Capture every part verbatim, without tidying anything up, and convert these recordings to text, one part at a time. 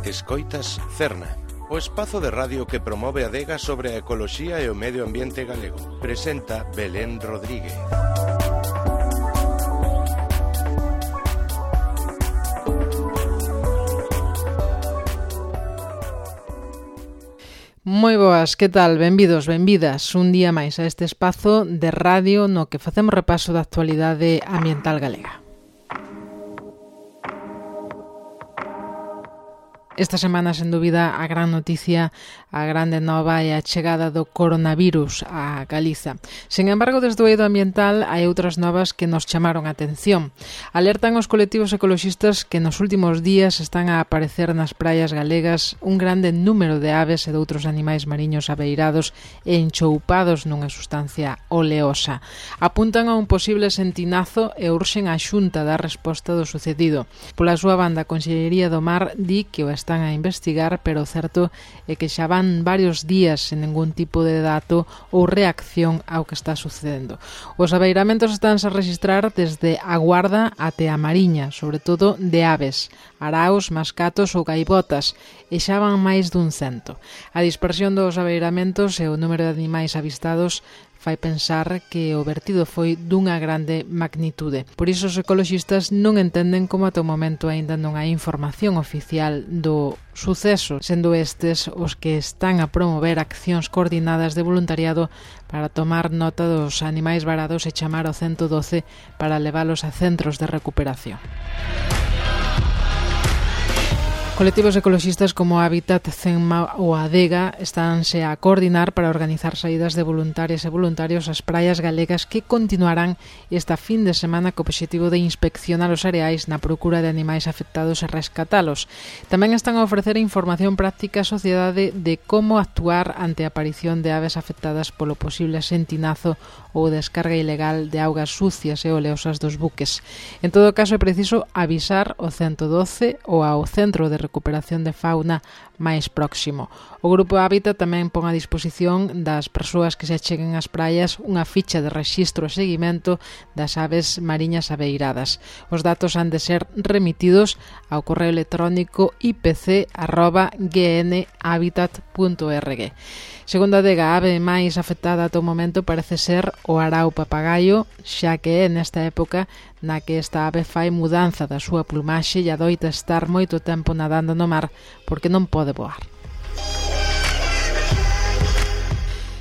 Escoitas Cerna, o espazo de radio que promove a adega sobre a ecoloxía e o medio ambiente galego. Presenta Belén Rodríguez. Moi boas, que tal? Benvidos, benvidas un día máis a este espazo de radio no que facemos repaso da actualidade ambiental galega. Esta semana, sen dúbida, a gran noticia, a grande nova é a chegada do coronavirus a Galiza. Sen embargo, desde o eido ambiental hai outras novas que nos chamaron a atención. Alertan os colectivos ecoloxistas que nos últimos días están a aparecer nas praias galegas un grande número de aves e de outros animais mariños abeirados e enchoupados nunha sustancia oleosa. Apuntan a un posible sentinazo e urxen a Xunta da resposta do sucedido. Pola súa banda, a Consellería do Mar di que o están a investigar, pero o certo é que xa van varios días sen ningún tipo de dato ou reacción ao que está sucedendo. Os abeiramentos estánse a registrar desde a Guarda até a Mariña, sobre todo de aves, araos, mascatos ou gaivotas, e xa van máis dun cento. A dispersión dos abeiramentos e o número de animais avistados fai pensar que o vertido foi dunha grande magnitude. Por iso os ecoloxistas non entenden como ata o momento aínda non hai información oficial do suceso, sendo estes os que están a promover accións coordinadas de voluntariado para tomar nota dos animais varados e chamar ao ciento doce para leválos a centros de recuperación. Colectivos ecoloxistas como Hábitat, Cenma ou Adega estánse a coordinar para organizar saídas de voluntarias e voluntarios ás praias galegas que continuarán esta fin de semana co obxectivo de inspeccionar os areais na procura de animais afectados e rescatalos. Tamén están a ofrecer información práctica á sociedade de como actuar ante a aparición de aves afectadas polo posible sentinazo ou descarga ilegal de augas sucias e oleosas dos buques. En todo caso, é preciso avisar o ciento doce ou ao Centro de Recuperación de Fauna máis próximo. O Grupo Hábitat tamén pon a disposición das persoas que se acheguen ás praias unha ficha de rexistro e seguimento das aves mariñas abeiradas. Os datos han de ser remitidos ao correo electrónico i p c arroba g n habitat punto org. Segundo a adega, a ave máis afectada ata o momento parece ser o arao papagaio, xa que é nesta época na que esta ave fai mudanza da súa plumaxe e adoita estar moito tempo nadando no mar porque non pode voar.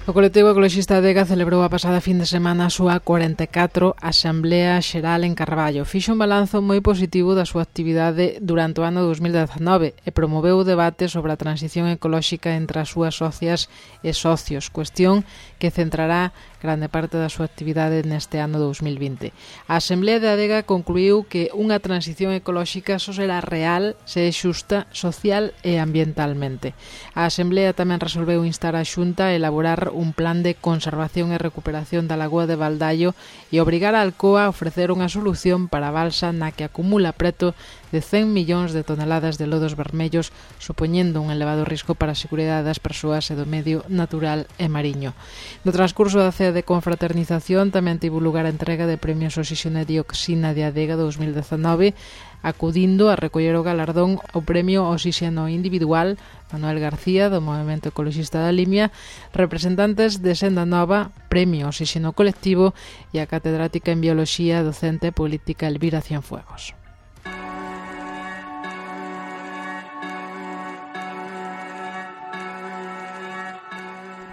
O colectivo ecoloxista Adega celebrou a pasada fin de semana a súa cuarenta e catro Asamblea Xeral en Carballo. Fixo un balanzo moi positivo da súa actividade durante o ano dos mil dezanove e promoveu o debate sobre a transición ecolóxica entre as súas socias e socios, cuestión que centrará grande parte da súa actividade neste ano dos mil vinte. A Asamblea de Adega concluiu que unha transición ecolóxica só será real se é xusta social e ambientalmente. A Asamblea tamén resolveu instar a Xunta a elaborar un plan de conservación e recuperación da lagoa de Valdallo e obrigar a Alcoa a ofrecer unha solución para a balsa na que acumula preto de cen millóns de toneladas de lodos vermellos, supoñendo un elevado risco para a seguridade das persoas e do medio natural e mariño. No transcurso da cea de confraternización tamén tivo lugar a entrega de premios Oxígeno e Dioxina de Adega dos mil dezanove, acudindo a recoller o galardón ao premio Oxígeno Individual Manuel García do Movemento Ecoloxista da Limia, representantes de Senda Nova, Premio Oxígeno Colectivo e a catedrática en Bioloxía docente política Elvira Cienfuegos.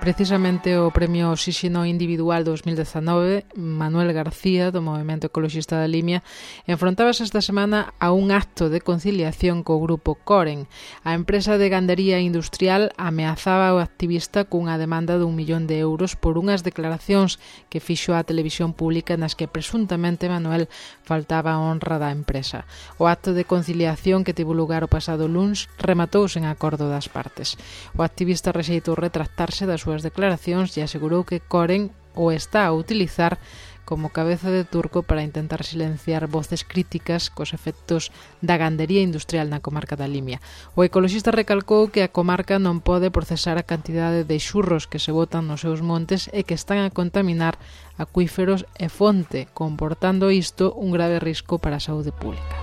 Precisamente o Premio Oxígeno Individual dos mil dezanove, Manuel García, do Movemento Ecoloxista da Limia, enfrontábase esta semana a un acto de conciliación co grupo Coren. A empresa de gandería industrial ameazaba ao activista cunha demanda de un millón de euros por unhas declaracións que fixo á televisión pública nas que presuntamente Manuel faltaba a honra da empresa. O acto de conciliación que tivo lugar o pasado luns rematou sen acordo das partes. O activista rexeitou retractarse das súas declaracións e asegurou que Coren o está a utilizar como cabeza de turco para intentar silenciar voces críticas cos efectos da gandería industrial na comarca da Limia. O ecoloxista recalcou que a comarca non pode procesar a cantidade de xurros que se botan nos seus montes e que están a contaminar acuíferos e fonte, comportando isto un grave risco para a saúde pública.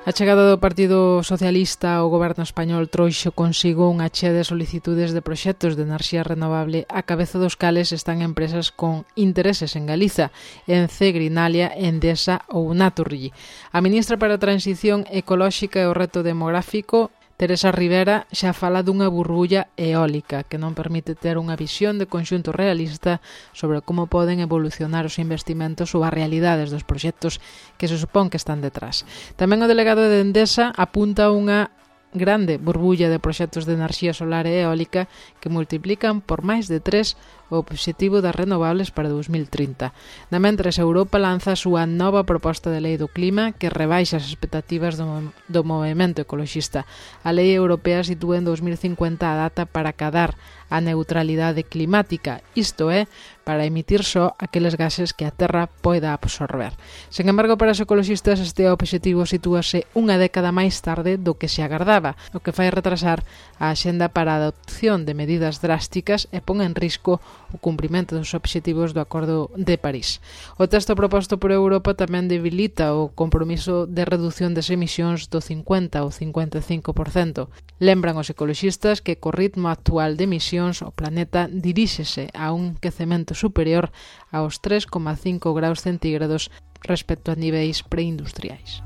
A A chegada do Partido Socialista ao goberno español trouxo consigo unha chea de solicitudes de proxectos de enerxía renovable a cabeza dos cales están empresas con intereses en Galiza, Ence, Grinalia, Endesa ou Naturgy. A ministra para a Transición Ecolóxica e o Reto Demográfico, Teresa Rivera, xa fala dunha burbulla eólica que non permite ter unha visión de conxunto realista sobre como poden evolucionar os investimentos ou as realidades dos proxectos que se supón que están detrás. Tamén o delegado de Endesa apunta unha grande burbulla de proxectos de enerxía solar e eólica que multiplican por máis de tres o obxectivo das renovables para dous mil trinta. Na mentres, Europa lanza a súa nova proposta de lei do clima que rebaixa as expectativas do, do movimento ecoloxista. A lei europea sitúa en dous mil cincuenta a data para acadar a neutralidade climática, isto é, para emitir só aqueles gases que a Terra poida absorber. Sen embargo, para os ecoloxistas este obxectivo sitúase unha década máis tarde do que se agardaba, o que fai retrasar a axenda para a adopción de medidas drásticas e pon en risco o cumprimento dos obxectivos do Acordo de París. O texto proposto por Europa tamén debilita o compromiso de reducción das emisións do cincuenta ou cincuenta e cinco por cento. Lembran os ecoloxistas que co ritmo actual de emisións o planeta diríxese a un quecemento superior aos tres coma cinco graus centígrados respecto a niveis preindustriais.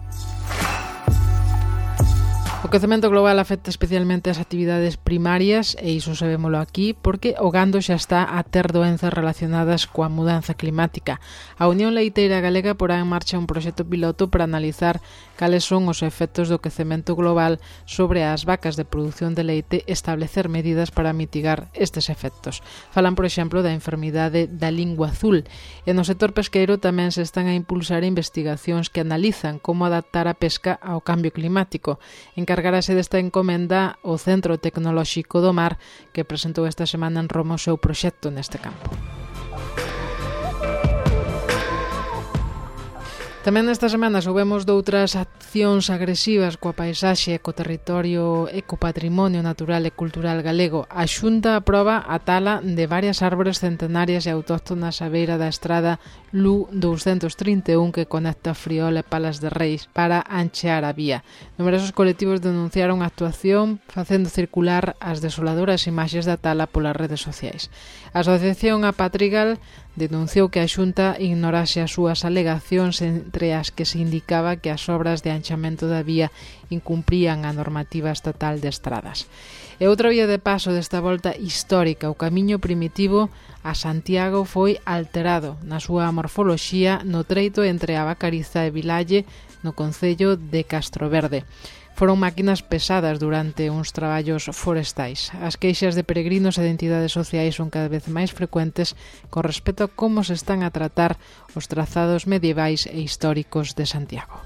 O quecemento global afecta especialmente as actividades primarias e iso sabémolo aquí porque o gando xa está a ter doenzas relacionadas coa mudanza climática. A Unión Leiteira Galega porá en marcha un proxecto piloto para analizar cales son os efectos do quecemento global sobre as vacas de produción de leite e establecer medidas para mitigar estes efectos. Falan, por exemplo, da enfermidade da lingua azul e no sector pesqueiro tamén se están a impulsar investigacións que analizan como adaptar a pesca ao cambio climático. En Encargarase desta encomenda o Centro Tecnolóxico do Mar, que presentou esta semana en Roma o seu proxecto neste campo. Tamén esta semana soubemos doutras accións agresivas coa paisaxe, co territorio e co patrimonio natural e cultural galego. A Xunta aproba a tala de varias árbores centenarias e autóctonas á beira da estrada L U doscientos trinta e un que conecta Friol e Palas de Reis para anchear a vía. Numerosos colectivos denunciaron a actuación facendo circular as desoladoras imaxes da tala polas redes sociais. A Asociación Apatrigal denunciou que a Xunta ignorase as súas alegacións entre as que se indicaba que as obras de anchamento da vía incumprían a normativa estatal de estradas. E outra vía de paso desta volta histórica, o camiño primitivo a Santiago, foi alterado na súa morfoloxía no treito entre a Vacariza e Vilalle no concello de Castroverde. Foron máquinas pesadas durante uns traballos forestais. As queixas de peregrinos e de entidades sociais son cada vez máis frecuentes con respecto a como se están a tratar os trazados medievais e históricos de Santiago.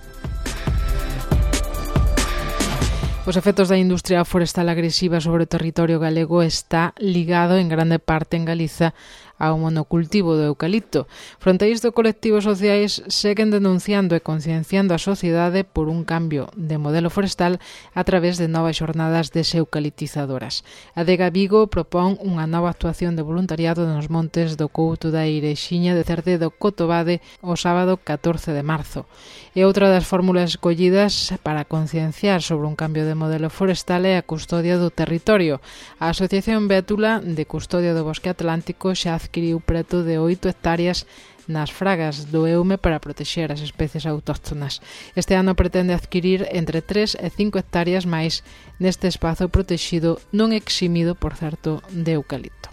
Os efectos da industria forestal agresiva sobre o territorio galego está ligado en grande parte en Galiza ao monocultivo do eucalipto. Fronte a isto, colectivos sociais seguen denunciando e concienciando a sociedade por un cambio de modelo forestal a través de novas xornadas deseucaliptizadoras. A Adega Vigo propón unha nova actuación de voluntariado nos montes do Couto da Irexiña de Cerde do Cotobade o sábado catorce de marzo. E outra das fórmulas escollidas para concienciar sobre un cambio de modelo forestal é a custodia do territorio. A Asociación Bétula de Custodia do Bosque Atlántico xa adquiriu preto de oito hectáreas nas fragas do Eume para protexer as especies autóctonas. Este ano pretende adquirir entre tres e cinco hectáreas máis neste espazo protexido non eximido, por certo, de eucalipto.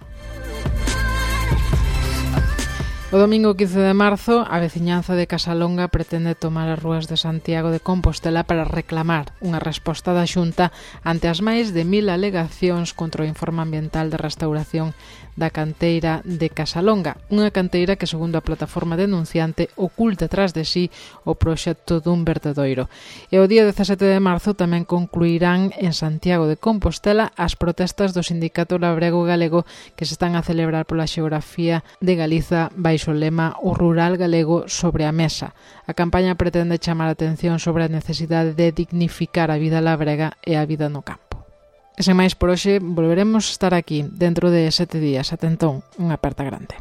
O domingo quince de marzo, a veciñanza de Casalonga pretende tomar as rúas de Santiago de Compostela para reclamar unha resposta da Xunta ante as máis de mil alegacións contra o informe ambiental de restauración da canteira de Casalonga, unha canteira que, segundo a plataforma denunciante, oculta tras de sí o proxecto dun vertedoiro. E o día dezasete de marzo tamén concluirán en Santiago de Compostela as protestas do Sindicato Labrego Galego que se están a celebrar pola xeografía de Galiza baixo o lema O Rural Galego sobre a mesa. A campaña pretende chamar a atención sobre a necesidade de dignificar a vida labrega e a vida no campo. E sen máis por hoxe, volveremos estar aquí dentro de sete días. Ata entón, unha aperta grande.